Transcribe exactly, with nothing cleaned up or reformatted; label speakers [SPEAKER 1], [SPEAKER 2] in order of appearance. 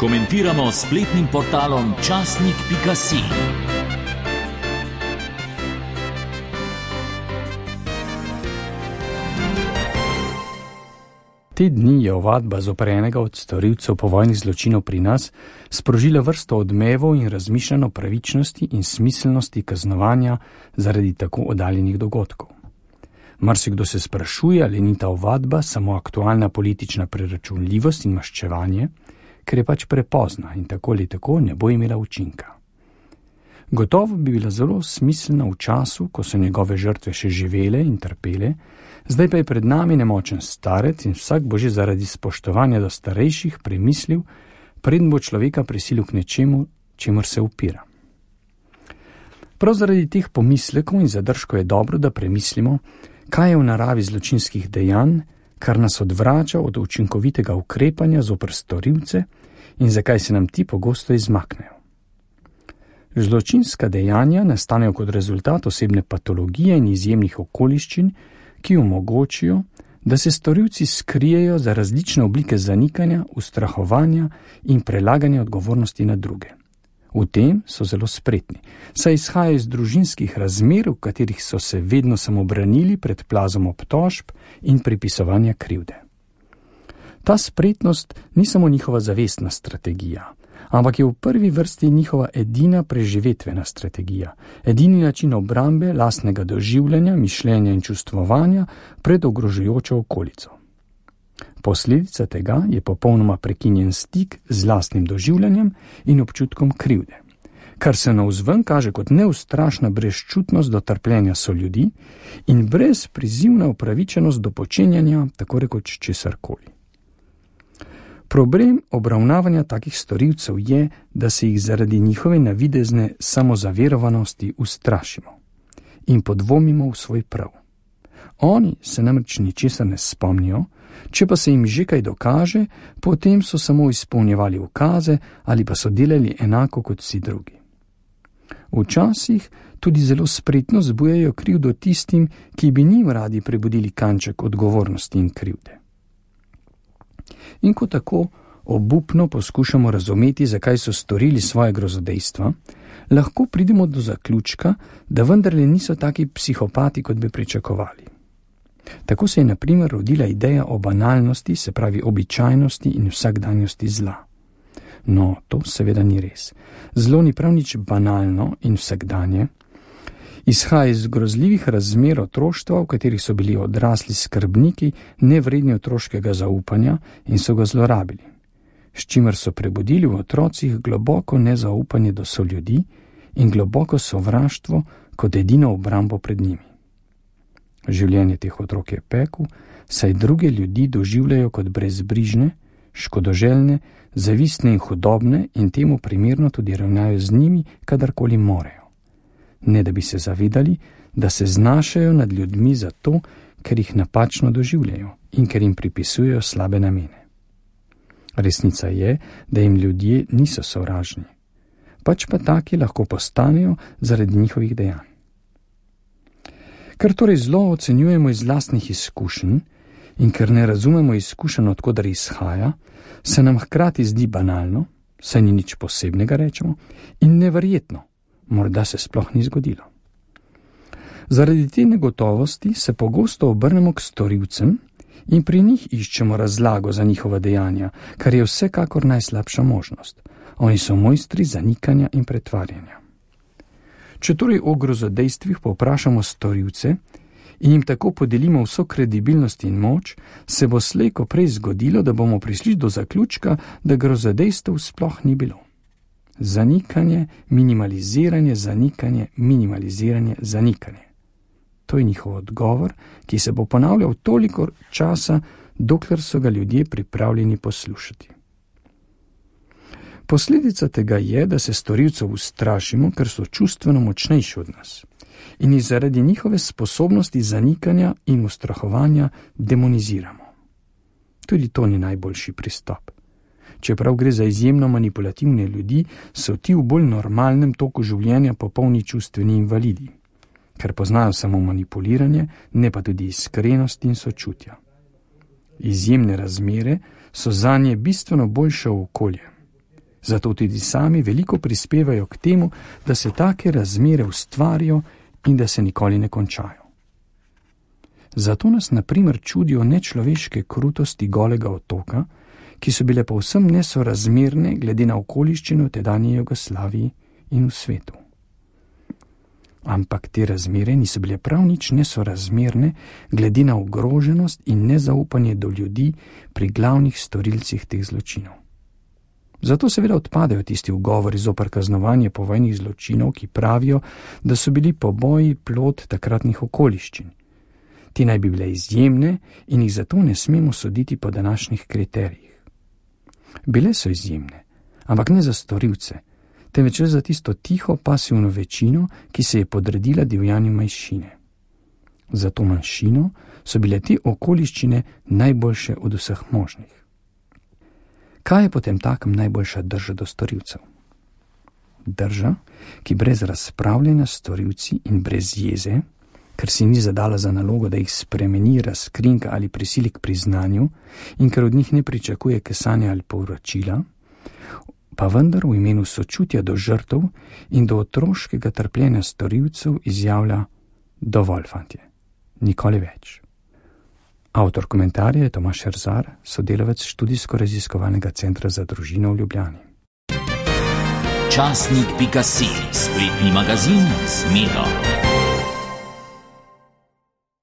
[SPEAKER 1] Komentiramo s spletnim portalom časnik pika si.
[SPEAKER 2] Te dni je ovadba zoper enega od storilcev povojnih zločinov pri nas sprožila vrsto odmevov in razmišljanj o pravičnosti in smiselnosti kaznovanja zaradi tako oddaljenih dogodkov. Marsikdo se sprašuje, ali ni ta ovadba samo aktualna politična preračunljivost in maščevanje, ker je pač prepozna in tako ali tako ne bo imela učinka. Gotovo bi bila zelo smiselna v času, ko so njegove žrtve še živele in trpele, zdaj pa je pred nami nemočen starec in vsak bo že zaradi spoštovanja do starejših premislil, preden bo človeka prisilil k nečemu, čemur se upira. Prav zaradi teh pomislekov in zadržkov je dobro, da premislimo, kaj je v naravi zločinskih dejanj, kar nas odvrača od učinkovitega ukrepanja zoper storilce in zakaj se nam ti pogosto izmaknejo. Zločinska dejanja nastanejo kot rezultat osebne patologije in izjemnih okoliščin, ki omogočijo, da se storilci skrijejo za različne oblike zanikanja, ustrahovanja in prelaganja odgovornosti na druge. V tem so zelo spretni, saj izhajajo iz družinskih razmer, v katerih so se vedno samo branili pred plazom obtožb in pripisovanja krivde. Ta spretnost ni samo njihova zavestna strategija, ampak je v prvi vrsti njihova edina preživetvena strategija, edini način obrambe lastnega doživljanja, mišljenja in čustvovanja pred ogrožujočo okolico. Posledica tega je popolnoma prekinjen stik z lastnim doživljanjem in občutkom krivde, kar se navzven kaže kot neustrašna brezčutnost do trpljenja soljudi in brezprizivna upravičenost do počenjanja tako rekoč česarkoli. Problem obravnavanja takih storilcev je, da se jih zaradi njihove navidezne samozaverovanosti ustrašimo in podvomimo v svoj prav. Oni se namreč ničesar ne spomnijo, če pa se jim že kaj dokaže, potem so samo izpolnjevali ukaze ali pa so delali enako kot vsi drugi. Včasih tudi zelo spretno zbujajo krivdo tistim, ki bi njim radi prebudili kanček odgovornosti in krivde. In ko tako obupno poskušamo razumeti, zakaj so storili svoje grozodejstva, lahko pridemo do zaključka, da vendarle niso taki psihopati, kot bi pričakovali. Tako se je na primer rodila ideja o banalnosti, se pravi običajnosti in vsakdanjosti zla. No, to seveda ni res. Zlo ni prav nič banalno in vsakdanje. Izhaja iz grozljivih razmer otroštva, v katerih so bili odrasli skrbniki nevredni otroškega zaupanja in so ga zlorabili, s čimer so prebudili v otrocih globoko nezaupanje do soljudi in globoko sovraštvo kot edino obrambo pred njimi. Življenje teh otrok je pekel, saj druge ljudi doživljajo kot brezbrižne, škodoželjne, zavistne in hudobne in temu primerno tudi ravnajo z njimi, kadarkoli morejo. Ne da bi se zavedali, da se znašajo nad ljudmi zato, ker jih napačno doživljajo in ker jim pripisujejo slabe namene. Resnica je, da jim ljudje niso sovražni, pač pa taki lahko postanejo zaradi njihovih dejanj. Ker torej zlo ocenjujemo iz lastnih izkušenj in ker ne razumemo izkušenj, od koder izhaja, se nam hkrati zdi banalno, saj ni nič posebnega, rečemo, in neverjetno, morda se sploh ni zgodilo. Zaradi te negotovosti se pogosto obrnemo k storilcem in pri njih iščemo razlago za njihova dejanja, kar je vsekakor najslabša možnost. Oni so mojstri zanikanja in pretvarjanja. Če torej o grozodejstvih povprašamo storilce in jim tako podelimo vso kredibilnost in moč, se bo slej ko prej zgodilo, da bomo prišli do zaključka, da grozodejstev sploh ni bilo. Zanikanje, minimaliziranje, zanikanje, minimaliziranje, zanikanje. To je njihov odgovor, ki se bo ponavljal toliko časa, dokler so ga ljudje pripravljeni poslušati. Posledica tega je, da se storilcev ustrašimo, ker so čustveno močnejši od nas in jih zaradi njihove sposobnosti zanikanja in ustrahovanja demoniziramo. Tudi to ni najboljši pristop. Čeprav gre za izjemno manipulativne ljudi, so ti v bolj normalnem toku življenja popolni čustveni invalidi, ker poznajo samo manipuliranje, ne pa tudi iskrenost in sočutja. Izjemne razmere so zanje bistveno boljše okolje. Zato tudi sami veliko prispevajo k temu, da se take razmere ustvarijo in da se nikoli ne končajo. Zato nas na primer čudijo nečloveške krutosti Golega otoka, ki so bile povsem nesorazmerne glede na okoliščino v tedanji Jugoslaviji in v svetu. Ampak te razmere niso bile prav nič nesorazmerne glede na ogroženost in nezaupanje do ljudi pri glavnih storilcih teh zločinov. Zato seveda odpadajo tisti ugovori zoper kaznovanje povojnih zločinov, ki pravijo, da so bili poboji plod takratnih okoliščin. Ti naj bi bile izjemne in jih zato ne smemo soditi po današnjih kriterijih. Bile so izjemne, ampak ne za storilce, temveč za tisto tiho pasivno večino, ki se je podredila divjanju manjšine. Za to manjšino so bile te okoliščine najboljše od vseh možnih. Kaj je potem takem najboljša drža do storilcev? Drža, ki brez razpravljanja s storilci in brez jeze, ker si ni zadala za nalogo, da jih spremeni, razkrinka ali prisili k priznanju in ker od njih ne pričakuje kesanja ali povračila, pa vendar v imenu sočutja do žrtev in do otroškega trpljenja storilcev izjavlja: dovolj, fantje, nikoli več. Avtor komentarja je Tomaž Erzar, sodelavec študijsko-raziskovalnega centra za družino v Ljubljani.
[SPEAKER 1] Časnik pika si, spletni magazin z Miro.